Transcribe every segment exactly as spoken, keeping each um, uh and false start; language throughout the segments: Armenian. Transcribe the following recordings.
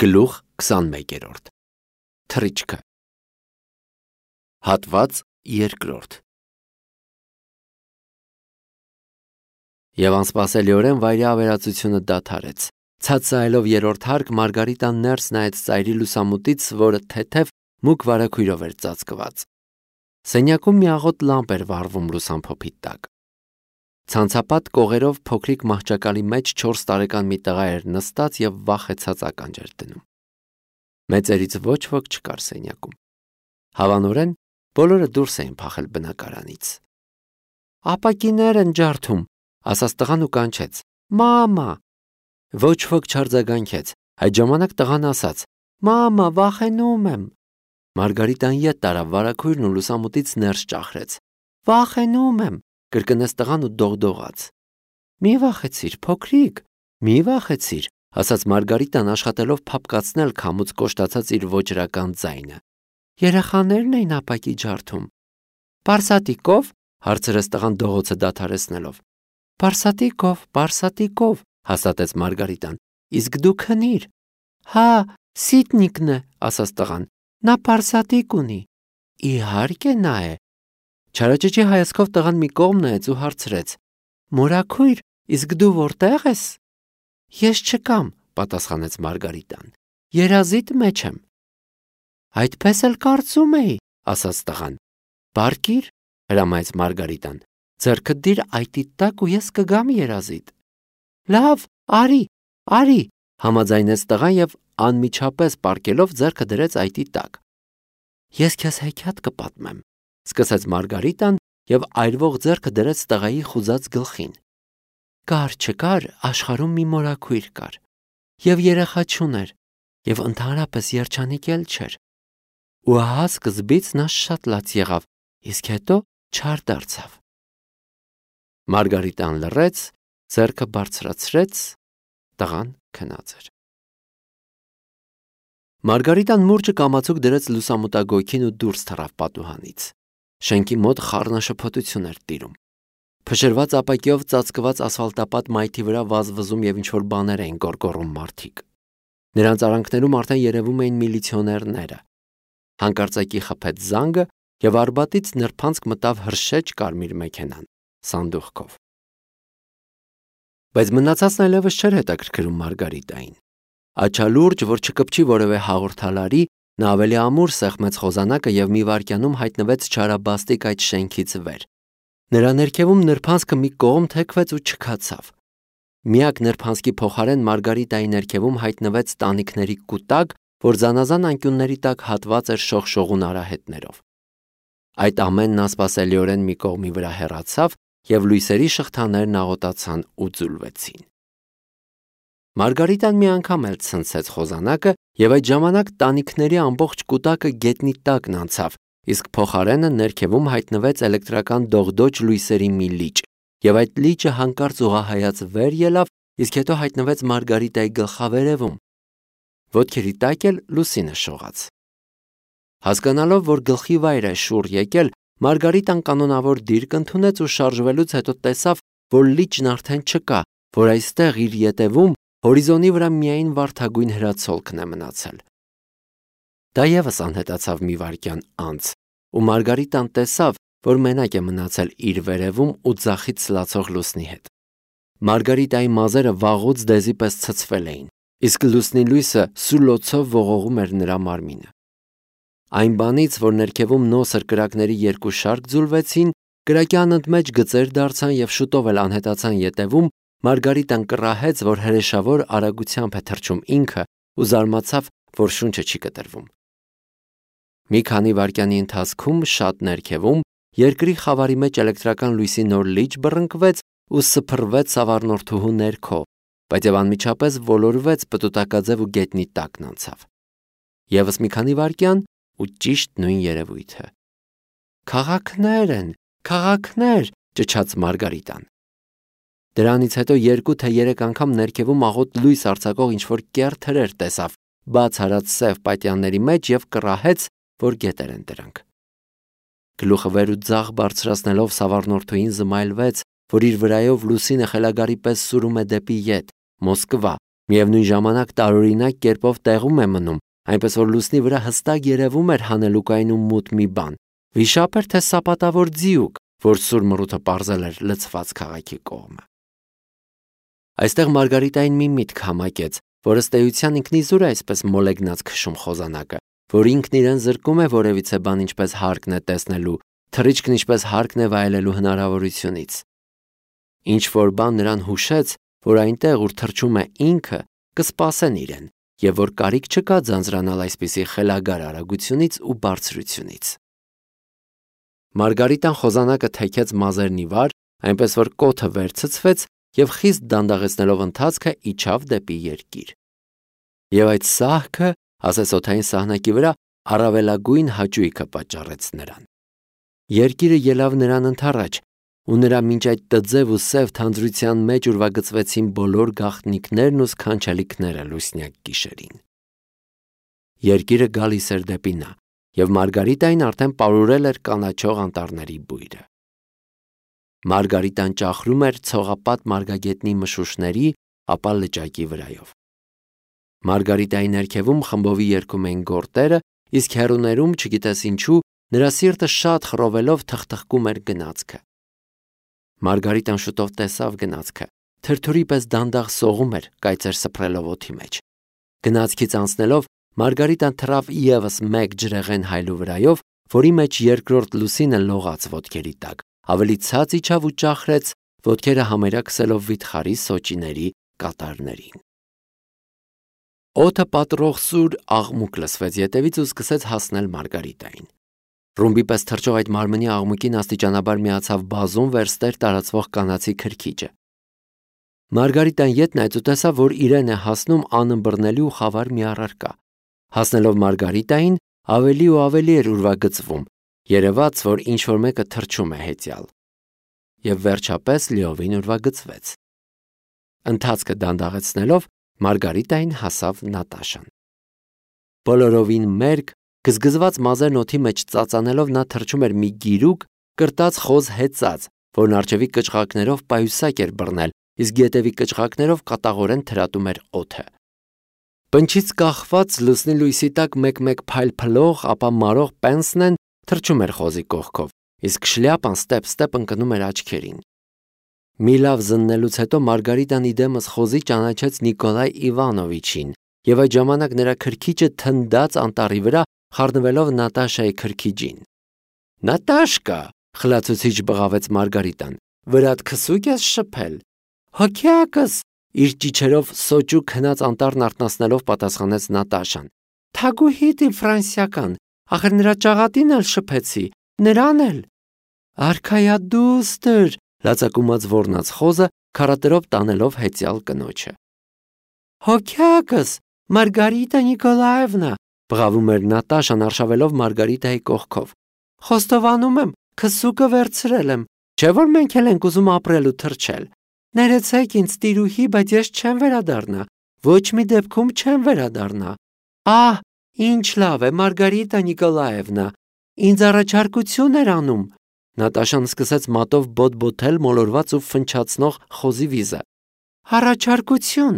Գլուխ քսանմեկերորդ Թռիչքը Հատված երկրորդ Եվ անսպասելիորեն վայրի ավերածությունը դադարեց։ Ցածայելով երրորդ հարկ Մարգարիտան ներս նայեց ծայրի լուսամուտից, որը թեթև մուգ վարագույրով էր ծածկված։ Սենյակում մի աղոտ լամպ էր վառվում լուսամփոփի տակ։ Ցանցապատ կողերով փոքրիկ մահճակալի մեջ չորս տարեկան մի տղա էր նստած եւ վախեցած ականջ էր դնում։ Մեծերից ոչ ոք չկար սենյակում։ Հավանորեն բոլորը դուրս էին փախել բնակարանից։ «Ապակիներ են ջարդում», ասաց տղան ու կանչեց. «Մամա»։ Ոչ ոք չարձագանքեց։ Այդ ժամանակ տղան ասաց. «Մամա, վախենում եմ»։ Մարգարիտան ետ տարավ վարագույրն ու լուսամուտից ներս ճախրեց։ «Վախենում եմ», կրկնեց տղան ու դողդողաց։ «Մի վախեցիր, փոքրիկ, մի վախեցիր», ասաց Մարգարիտան աշխատելով փափկացնել քամուց կոշտացած իր ոճրական ձայնը։ «Երեխաներն էին ապակի ջարդում»։ «Պարսատիկով», հարցրեց տղան դողոցը դադարեցնելով։ «Պարսատիկով, պարսատիկով», հաստատեց Մարգարիտան։ «Իսկ դու քնիր»։ «Հա, Սիտնիկն է», ասաց տղան։ «Նա պարսատիկ ունի»։ «Իհարկե նա է»։ Չարաճճի հայացքով տղան մի կողմ նայեց ու հարցրեց. «Մորաքույր, իսկ դու որտե՞ղ ես»։ «Ես չկամ», պատասխանեց Մարգարիտան։ «Երազիդ մեջ եմ»։ «Այդպես էլ կարծում էի», ասաց տղան։ «Բարկիր», հրամայեց Մարգարիտան։ «Ձեռքդ դիր այտի տակ ու ես կգամ երազիդ»։ «Լավ, արի, արի», համաձայնեց տղան եւ անմիջապես պառկելով ձեռքը դրեց այտի տակ։ «Ես քեզ հեքիաթ կպատմեմ», սկսեց Մարգարիտան եւ այրվող ձեռքը դրեց տղայի խուզած գլխին։ Կար չկար աշխարհում մի մորաքույր կար, եւ երեխա չուներ, եւ ընդհանրապես երջանիկ էլ չէր։ Ու ահա սկզբից նա շատ լաց եղավ, իսկ հետո չար դարձավ։ Մարգարիտան լռեց, ձեռքը բարձրացրեց, տղան քնած էր։ Մարգարիտան մուրճը կամացուկ դրեց լուսամուտագույքին ու դուրս թռավ պատուհանից։ Շենքի մոտ խառնաշփոթություն էր տիրում։ Փշրված ապակիով ծածկված ասֆալտապատ մայթի վրա վազվզում եւ ինչ-որ բաներ էին գոռգոռում մարդիկ։ Նրանց արանքներում արդեն երևում էին միլիցիոներները։ Հանկարծակի խփեց զանգը եւ արբատից նրբանցք մտավ հրշեջ կարմիր մեքենան, սանդուղքով։ Բայց մնացածն այլևս չէր հետաքրքրում Մարգարիտային։ Աչալուրջ, որ չկպչի որևէ հաղորդալարի, նա ավելի ամուր սեղմեց խոզանակը եւ մի վայրկյանում հայտնվեց չարաբաստիկ այդ շենքից վեր։ Նրա ներքևում նրբանցքը մի կողմ թեքվեց ու չքացավ։ Միակ նրբանցքի փոխարեն Մարգարիտայի ներքևում հայտնվեց տանիքների կուտակ, որ զանազան անկյունների տակ հատված էր շողշողուն արահետներով։ Այդ ամենն անսպասելիորեն մի կողմի վրա հեռացավ եւ լույսերի շղթաներն աղոտացան ու ձուլվեցին։ Մարգարիտան մի անգամ էլ ցնցեց խոզանակը եւ այդ ժամանակ տանիքների ամբողջ կուտակը գետնի տակն անցավ, իսկ փոխարենը ներքևում հայտնվեց էլեկտրական դողդոջ լույսերի մի լիճ, եւ այդ լիճը հանկարծ ուղղահայաց վեր ելավ, իսկ հետո հայտնվեց Մարգարիտայի գլխավերևում։ Ոտքերի տակ էլ լուսինը շողաց։ Հասկանալով, որ գլխի վայր է շուռ եկել, Մարգարիտան կանոնավոր դիրք ընդունեց ու շարժվելուց հետո տեսավ, որ լիճն արդեն չկա, որ այստեղ իր ետևում հորիզոնի վրա միայն վարդագույն հրացոլքն է մնացել։ Դա եւս անհետացավ մի վայրկյան անց, ու Մարգարիտան տեսավ, որ մենակ է մնացել իր վերևում ու ձախից ցլացող լուսնի հետ։ Մարգարիտայի մազերը վաղուց դեզի պես ցցվել էին, իսկ լուսնի լույսը սուլոցով ողողում էր նրա մարմինը։ Այն բանից, որ ներքևում նոսր կրակների երկու շարք ձուլվեցին, կրակի անընդմեջ գծեր դարձան եւ շուտով էլ անհետացան ետևում, Մարգարիտան կռահեց, որ հրեշավոր արագությամբ է թռչում ինքը ու զարմացավ, որ շունչը չի կտրվում։ Մի քանի վայրկյանի ընթացքում շատ ներքևում երկրի խավարի մեջ էլեկտրական լույսի նոր լիճ բռնկվեց ու սփռվեց սավառնորդուհու ներքո, բայց եւ անմիջապես ոլորվեց պտուտակաձև ու գետնի տակն անցավ։ Եվս մի քանի վայրկյան ու ճիշտ նույն երևույթը։ «Քաղաքներ են, քաղաքներ», ճչաց Մարգարիտան։ Դրանից հետո երկու թե երեք անգամ ներքևում աղոտ լույս արձակող ինչ-որ կեռ թրեր տեսավ, բաց հարած սև պատյանների մեջ եւ կռահեց, որ գետեր են դրանք։ Գլուխը վեր ու ձախ բարձրացնելով սավառնորդուհին զմայլվեց, որ իր վրայով լուսինը խելագարի պես սուրում է դեպի ետ, Մոսկվա, Միևնույն ժամանակ տարօրինակ կերպով տեղում է մնում, այնպես որ լուսնի վրա հստակ երևում էր հանելուկայինում մութ մի բան։ Վիշապ էր թե սապատավոր ձիուկ, որ սուր մռութը պարզել էր լցված քաղաքի կողմը։ Այստեղ Մարգարիտային մի միտք համակեց, որ ըստ էության ինքնիզուր է այսպես մոլեգնած քշում խոզանակը, որ ինքն իրեն զրկում է որևիցե բան ինչպես հարկն է տեսնելու, թռիչքն ինչպես հարկն է վայելելու հնարավորությունից։ Ինչ որ բան նրան հուշեց, որ այնտեղ, ուր թռչում է ինքը, կսպասեն իրեն, եւ որ կարիք չկա ձանձրանալ այսպիսի խելագար արագությունից ու բարձրությունից։ Մարգարիտան խոզանակը թեքեց մազերն ի վար, այնպես որ կոթը վերցցվեց եւ խիստ դանդաղեցնելով ընթացքը իջավ դեպի երկիր։ Եվ այդ սահքը, ասես օդային սահնակի վրա, առավելագույն հաճույքը պատճառեց նրան։ Երկիրը ելավ նրան ընդառաջ, ու նրա մինչ այդ տձև ու սև թանձրության մեջ ուրվագծվեցին բոլոր գաղտնիքներն ու սքանչելիքները լուսնյակ գիշերին։ Երկիրը գալիս էր դեպի նա, եւ Մարգարիտային արդեն պարուրել էր կանաչող անտառների բույրը։ Մարգարիտան ճախրում էր ցողապատ մարգագետնի մշուշների, ապա լճակի վրայով։ Մարգարիտայի ներքևում խմբովի երգում էին գորտերը, իսկ հեռուներում, չգիտես ինչու, նրա սիրտը շատ խռովելով թխթխկում էր գնացքը։ Մարգարիտան շուտով տեսավ գնացքը, թրթուրի պես դանդաղ սողում էր, կայծեր սփռելով օդի մեջ։ Գնացքից անցնելով Մարգարիտան թռավ ևս մեկ ջրեղեն հայլու վրայով, որի մեջ երկրորդ լուսինը լողաց ոտքերի տակ, ավելի ցած իջավ ու ճախրեց, ոտքերը համարյա քսելով վիթխարի սոճիների կատարներին։ Օդը պատռող սուր աղմուկ լսվեց ետևից ու սկսեց հասնել Մարգարիտային։ Ռումբի պես թռչող այդ մարմնի աղմուկին աստիճանաբար միացավ բազում վերստեր տարածվող կանացի քրքիջը։ Մարգարիտան ետ նայեց ու տեսավ, որ իրեն է հասնում անըմբռնելի ու խավար մի առարկա։ Հասնելով Մարգարիտային, ավելի ու ավելի էր ուրվագծվում, երևաց, որ ինչ-որ մեկը թռչում է հեծյալ։ Եվ վերջապես լիովին ուրվագծվեց։ Ընթացքը դանդաղեցնելով Մարգարիտային հասավ Նատաշան։ Բոլորովին մերկ, գզգզված մազերն օդի մեջ ծածանելով նա թռչում էր մի գիրուկ, կրտած խոզ հեծած, որն արջևի կճղակներով պայուսակ էր բռնել, իսկ ետևի կճղակներով կատաղորեն թրատում էր օդը։ Պնչից կախված լուսնի լույսի տակ մեկ-մեկ փայլփլող, ապա մարող պենսնեն թռչում էր խոզի կողքով, իսկ շլյապան ստեպ-ստեպ ընկնում էր աչքերին։ Մի լավ զննելուց հետո Մարգարիտան իդեմս խոզի ճանաչեց Նիկոլայ Իվանովիչին, եւ այդ ժամանակ նրա քրքիջը թնդաց անտառի վրա, խառնվելով Նատաշայի քրքիջին։ Նատաշկա, խլացուցիչ բղավեց Մարգարիտան, վրադ քսուկ ես շփել։ Հոգյակս, իր ճիչերով սոճու քնած անտառն արթնացնելով պատասխանեց Նատաշան։ Թագուհիդ իմ ֆրանսիական, ախր նրա ճաղատին էլ շփեցի, նրան էլ։ Արքայադուստր, լացակումած ոռնաց խոզը, քարատերով տանելով հեծյալ կնոջը։ Հոգյակս, Մարգարիտա Նիկոլաևնա, բղավում էր Նատաշան արշավելով Մարգարիտայի կողքով։ Խոստովանում եմ, քսուկը վերցրել եմ, չէ որ մենք էլ ենք ուզում ապրել ու թռչել։ Ներեցեք ինձ տիրուհի, բայց ես չեմ վերադառնա, ոչ մի դեպքում չեմ վերադառնա։ Ահ, ինչ լավ է, Մարգարիտա Նիկոլաևնա, ինձ առաջարկություն էր անում։ Նատաշան սկսեց մատով բոտ-բոթել մոլորված ու ֆնչացնող խոզի վիզը։ Առաջարկություն։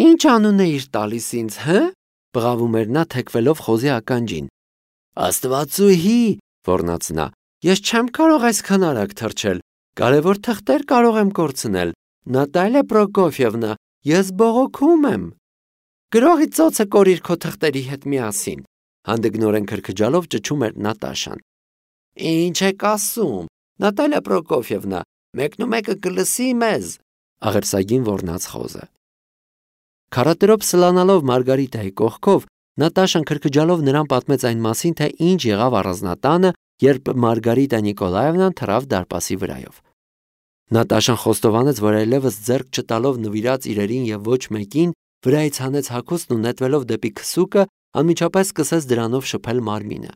Ինչ անուն էիր տալիս ինձ, հը? Բղավում էր նա թեքվելով խոզի ականջին։ Աստվածուհի, ոռնաց նա, ես չեմ կարող այսքան արագ թռչել, կարևոր թղթեր կարող եմ կորցնել։ Նատալիա Պրոկոֆիևնա, ես բողոքում եմ։ Գրողի ծոցը կորիր քո թղթերի հետ միասին, հանդգնորեն քրքջալով ճչում էր Նատաշան։ Ինչ եք ասում, Նատալիա Պրոկոֆիևնա, մեկնումեկը կլսի մեզ, աղերսագին ոռնաց խոզը։ Քարատերով սլանալով Մարգարիտայի կողքով, Նատաշան քրքջալով նրան պատմեց այն մասին, թե ինչ եղավ առանձնատանը, երբ Մարգարիտա Նիկոլաևնան թռավ դարպասի վրայով։ Նատաշան խոստովանեց, որ այլևս ձեռք չտալով նվիրած իրերին եւ ոչ մեկին, վրայից հանեց հագուստն ու նետվելով դեպի քսուկը, անմիջապես սկսեց դրանով շփել մարմինը։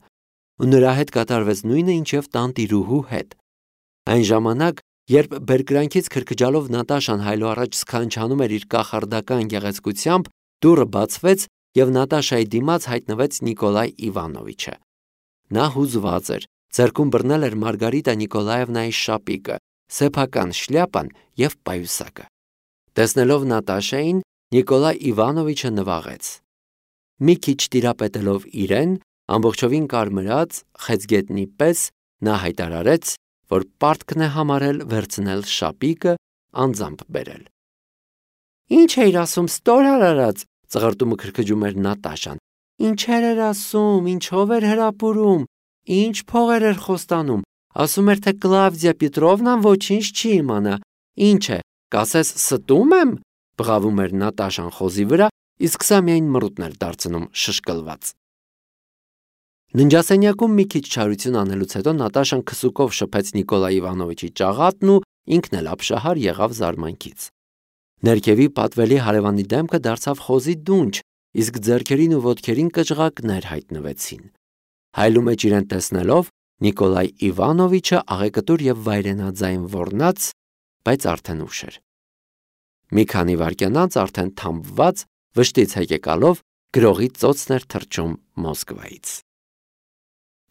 Ու նրա հետ կատարվեց նույնը, ինչ եւ տան տիրուհու հետ։ Այն ժամանակ, երբ բերկրանքից քրքջալով Նատաշան հայլու առաջ սքանչանում էր իր կախարդական գեղեցկությամբ, դուռը բացվեց եւ Նատաշայի դիմաց հայտնվեց Նիկոլայ Իվանովիչը։ Նա հուզված էր, ձեռքում բռնել էր Մարգարիտա Նիկոլաևնայի շապիկը, սեփական շլյապան եւ պայուսակը։ Տեսնելով Նատաշային, Նիկոլայ Իվանովիչը նվաղեց։ Մի քիչ տիրապետելով իրեն, ամբողջովին կարմրած խեցգետնի պես նա հայտարարեց, որ պարտքն է համարել վերցնել շապիկը, անձամբ բերել։ Ինչ էիր ասում, ստորար արած, ծղրտումը քրքջում էր Նատաշան։ Ինչեր էր ասում, ինչով էր հրապուրում, ինչ փողեր էր խոստանում, ասում էր, թե Կլավդիա Պետրովնան ոչինչ չի իմանա, ինչ է, կասես ստում եմ, բղավում էր Նատաշան խոզի վրա, իսկ սա միայն մռութն էր դարձնում շշկլված։ Ննջասենյակում մի քիչ չարություն անելուց հետո Նատաշան քսուկով շփեց Նիկոլայ Իվանովիչի ճաղատն ու ինքն էլ ապշահար եղավ զարմանքից։ Ներքևի պատվելի հարևանի դեմքը դարձավ խոզի դունչ, իսկ ձեռքերին ու ոտքերին կճղակներ հայտնվեցին։ Հայլու մեջ իրեն տեսնելով Նիկոլայ Իվանովիչը աղեկտուր եւ վայրենաձայն ոռնաց, բայց արդեն ուշ էր։ Մի քանի վայրկյան անց արդեն թամբված, վշտից հեկեկալով գրողի ծոցն էր թռչում Մոսկվայից։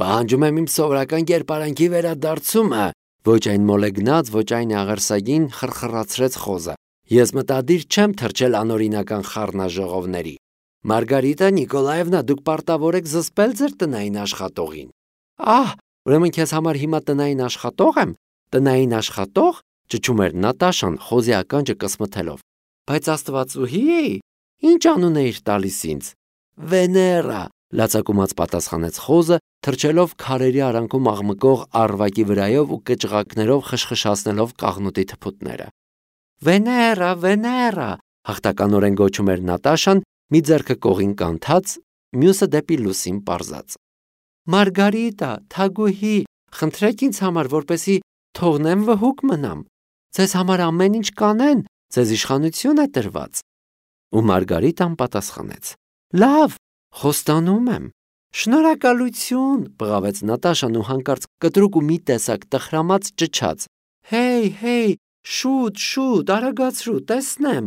Պահանջում եմ իմ սովորական կերպարանքի վերադարձումը, ոչ այն մոլեգնած, ոչ այն աղերսագին խրխրացրեց խոզը։ Ես մտադիր չեմ թռչել անօրինական խառնաժողովների։ Մարգարիտա Նիկոլաևնա, դուք պարտավոր եք զսպել ձեր տնային աշխատողին։ Ահ, ուրեմն քեզ համար հիմա տնային աշխատող եմ, տնային աշխատող, ճչում էր Նատաշան խոզի ականջը կսմթելով։ Բայց Աստվածուհի, ինչ անուն էիր տալիս ինձ։ Վեներա, լացակումած պատասխանեց խոզը, թռչելով քարերի արանքում աղմկող առվակի վրայով ու կճղակներով խշխշացնելով կաղնուտի թփուտները։ Վեներա, Վեներա, հաղթականորեն գոչում էր Նատաշան, մի ձեռքը կողին կանթած, մյուսը դեպի լուսին պարզած։ Մարգարիտա, թագուհի, խնդրեք ինձ համար, որպեսզի թողնեմ վհուկ մնամ։ Ձեզ համար ամեն ինչ կանեն, ձեզ իշխանություն է տրված։ Ու Մարգարիտան պատասխանեց. Լավ, խոստանում եմ։ Շնորհակալություն, բղավեց Նատաշան ու հանկարծ կտրուկ ու մի տեսակ տխրամած ճչաց։ Հեյ, հեյ, շուտ, շուտ, արագացրու, տեսնեմ։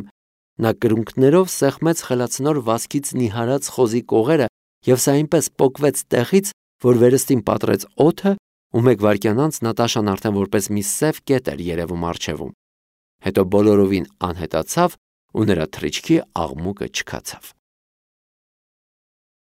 Նա կրունկներով սեղմեց խելացնոր վազքից նիհարած խոզի կողերը եւ սա այնպես պոկվեց տեղից, որ վերստին պատռեց օդը, ու մեկ վայրկյան անց Նատաշան արդեն որպես մի սև կետ էր երևում առջևում։ Հետո բոլորովին անհետացավ ու նրա թռիչքի աղմուկը չքացավ։